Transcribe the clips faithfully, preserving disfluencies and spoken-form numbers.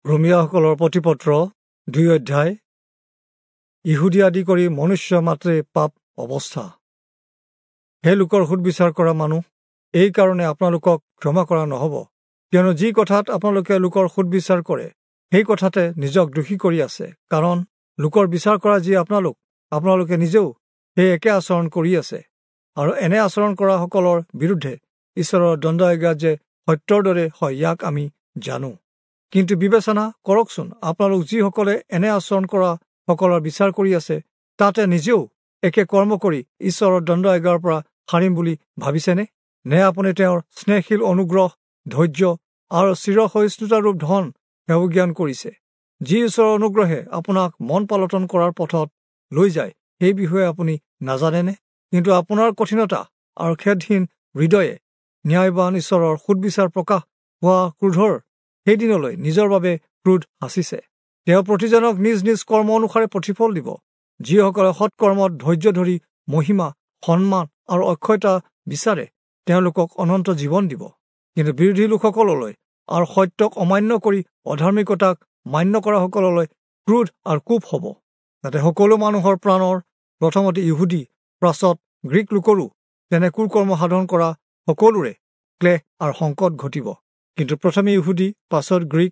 ৰোমীয়াসকলৰ প্ৰতিপত্ৰ দুই অধ্যায়। ইহুদী আদি কৰি মনুষ্য মাত্ৰে পাপ অৱস্থা। হে লোকৰ সুদবিচাৰ কৰা মানুহ, এই কাৰণে আপোনালোকক ক্ষমা কৰা নহ'ব, কিয়নো যি কথাত আপোনালোকে লোকৰ সুদবিচাৰ কৰে সেই কথাতে নিজক দোষী কৰি আছে। কাৰণ লোকৰ বিচাৰ কৰা যি আপোনালোক, আপোনালোকে নিজেও সেই একে আচৰণ কৰি আছে, আৰু এনে আচৰণ কৰাসকলৰ বিৰুদ্ধে ঈশ্বৰৰ দণ্ডাজ্ঞা যে সত্যৰ দৰে হয় ইয়াক আমি জানো। কিন্তু বিবেচনা কৰকচোন, আপোনালোক যিসকলে এনে আচৰণ কৰা সকলৰ বিচাৰ কৰি আছে, তাতে নিজেও একে কৰ্ম কৰি ঈশ্বৰৰ দণ্ডাজ্ঞাৰ পৰা সাৰিম বুলি ভাবিছেনে? নে আপুনি তেওঁৰ স্নেহশীল অনুগ্ৰহ, ধৈৰ্য আৰু চিৰসহিষ্ণুতাৰূপ ধন হেয়জ্ঞান কৰিছে? যি ঈশ্বৰৰ অনুগ্ৰহে আপোনাক মন পালটন কৰাৰ পথত লৈ যায়, সেই বিষয়ে আপুনি নাজানেনে? কিন্তু আপোনাৰ কঠিনতা আৰু খেদহীন হৃদয়ে ন্যায়বান ঈশ্বৰৰ সুদবিচাৰ প্ৰকাশ হোৱা ক্ৰোধৰ সেইদিনলৈ নিজৰ বাবে ক্ৰোধ সাঁচিছে। তেওঁ প্ৰতিজনক নিজ নিজ কৰ্ম অনুসাৰে প্ৰতিফল দিব। যিসকলে সৎকৰ্মত ধৈৰ্য ধৰি মহিমা, সন্মান আৰু অক্ষয়তা বিচাৰে, তেওঁলোকক অনন্ত জীৱন দিব। কিন্তু বিৰোধী লোকসকললৈ আৰু সত্যক অমান্য কৰি অধাৰ্মিকতাক মান্য কৰাসকললৈ ক্ৰোধ আৰু কোপ হ'ব। যাতে সকলো মানুহৰ প্ৰাণৰ, প্ৰথমতে ইহুদী, পাছত গ্ৰীক লোকৰো তেনে কুকৰ্ম সাধন কৰা সকলোৰে ক্লেশ আৰু সংকট ঘটিব। কিন্তু প্ৰথমে ইহুদী, পাছত গ্ৰীক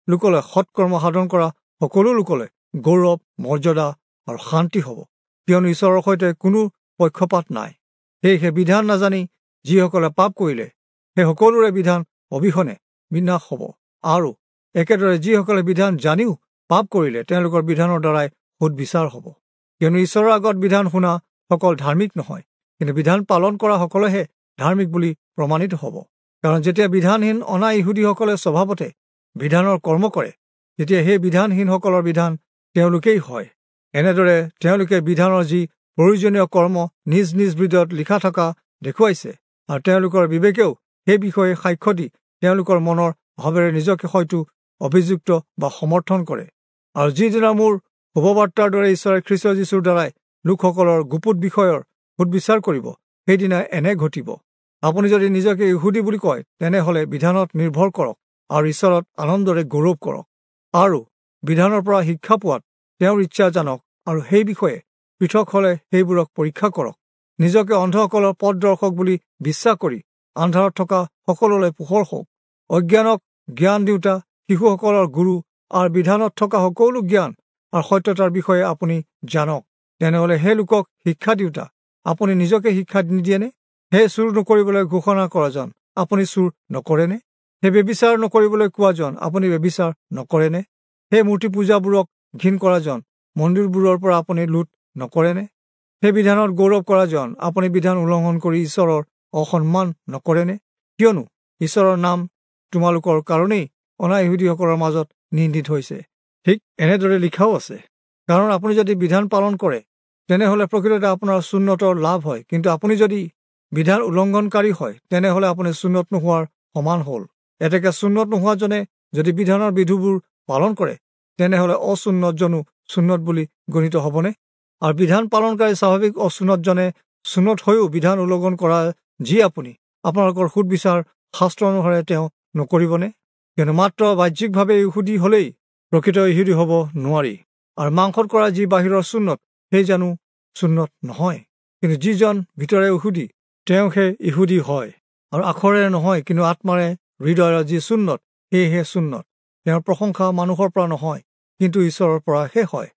লোকলৈ সৎকৰ্ম সাধন কৰা সকলো লোকলৈ গৌৰৱ, মৰ্যাদা আৰু শান্তি হ'ব, কিয়নো ঈশ্বৰৰ সৈতে কোনো পক্ষপাত নাই। সেয়েহে বিধান নাজানি যিসকলে পাপ কৰিলে, সেই সকলোৰে বিধান অবিহনে বিনাশ হ'ব, আৰু একেদৰে যিসকলে বিধান জানিও পাপ কৰিলে, তেওঁলোকৰ বিধানৰ দ্বাৰাই সুদবিচাৰ হ'ব। কিয়নো ঈশ্বৰৰ আগত বিধান শুনা সকল ধাৰ্মিক নহয়, কিন্তু বিধান পালন কৰা সকলেহে ধাৰ্মিক বুলি প্ৰমাণিত হ'ব। কাৰণ যেতিয়া বিধানহীন অনা ইহুদীসকলে স্বভাৱতে বিধানৰ কৰ্ম কৰে, তেতিয়া সেই বিধানহীনসকলৰ বিধান তেওঁলোকেই হয়। এনেদৰে তেওঁলোকে বিধানৰ যি প্ৰয়োজনীয় কৰ্ম নিজ নিজ হৃদয়ত লিখা থকা দেখুৱাইছে, আৰু তেওঁলোকৰ বিবেকেও সেই বিষয়ে সাক্ষ্য দি তেওঁলোকৰ মনৰ ভাৱেৰে নিজকে হয়তো অভিযুক্ত বা সমৰ্থন কৰে। আৰু যিদিনা মোৰ শুভবাৰ্তাৰ দৰে ঈশ্বৰে খ্ৰীষ্ট যীশুৰ দ্বাৰাই লোকসকলৰ গুপুত বিষয়ৰ সুদবিচাৰ কৰিব, সেইদিনা এনে ঘটিব। আপুনি যদি নিজকে ইহুদী বুলি কয়, তেনেহ'লে বিধানত নিৰ্ভৰ কৰক আৰু ঈশ্বৰত আনন্দৰে গৌৰৱ কৰক, আৰু বিধানৰ পৰা শিক্ষা পোৱাত তেওঁৰ ইচ্ছা জানক, আৰু সেই বিষয়ে পৃথক হ'লে সেইবোৰক পৰীক্ষা কৰক। নিজকে অন্ধসকলৰ পথদৰ্শক বুলি বিশ্বাস কৰি আন্ধাৰত থকা সকলোলৈ পোহৰ হওক। অজ্ঞানক জ্ঞান দিওঁতা শিশুসকলৰ গুৰু আৰু বিধানত থকা সকলো জ্ঞান আৰু সত্যতাৰ বিষয়ে আপুনি জানক। তেনেহ'লে সেই লোকক শিক্ষা দিওঁতা আপুনি নিজকে শিক্ষা নিদিয়েনে? হে চুৰ নকৰিবলৈ ঘোষণা কৰাজন, আপুনি চুৰ নকৰেনে? হে ব্যভিচাৰ নকৰিবলৈ কোৱাজন, আপুনি ব্যভিচাৰ নকৰেনে? হে মূৰ্তি পূজাবোৰক ঘিণ কৰাজন, মন্দিৰবোৰৰ পৰা আপুনি লুট নকৰেনে? সেই বিধানত গৌৰৱ কৰাজন, আপুনি বিধান উলংঘন কৰি ঈশ্বৰৰ অসন্মান নকৰেনে? কিয়নো ঈশ্বৰৰ নাম তোমালোকৰ কাৰণেই অনা ইহুদীসকলৰ মাজত নিন্দিত হৈছে। ঠিক এনেদৰে লিখাও আছে, কাৰণ আপুনি যদি বিধান পালন কৰে, তেনেহ'লে প্ৰকৃততে আপোনাৰ চুন্নতৰ লাভ হয়, কিন্তু আপুনি যদি বিধান উলংঘনকাৰী হয়, তেনেহ'লে আপুনি চুন্নত নোহোৱাৰ সমান হ'ল। এতেকে চুন্নত নোহোৱাজনে যদি বিধানৰ বিধুবোৰ পালন কৰে, তেনেহ'লে অচুন্নতজনো চুন্নত বুলি গণিত হ'বনে? আৰু বিধান পালনকাৰী স্বাভাৱিক অচুন্নতজনে চুন্নত হৈও বিধান উলংঘন কৰা যি আপুনি, আপোনালোকৰ সুদবিচাৰ শাস্ত্ৰ অনুসাৰে তেওঁ নকৰিবনে? কিয়নো মাত্ৰ বাহ্যিকভাৱে ইহুদী হ'লেই প্ৰকৃত ইহুদী হ'ব নোৱাৰি, আৰু মাংসত কৰা যি বাহিৰৰ চুন্নত, সেই জানো চুন্নত নহয়? কিন্তু যিজন ভিতৰে ইহুদী, তেওঁহে ইহুদী হয়, আৰু আখৰেৰে নহয়, কিন্তু আত্মাৰে হৃদয়ৰ যি চুন্নত, সেয়েহে চুন্নত। তেওঁৰ প্ৰশংসা মানুহৰ পৰা নহয়, কিন্তু ঈশ্বৰৰ পৰাহে হয়।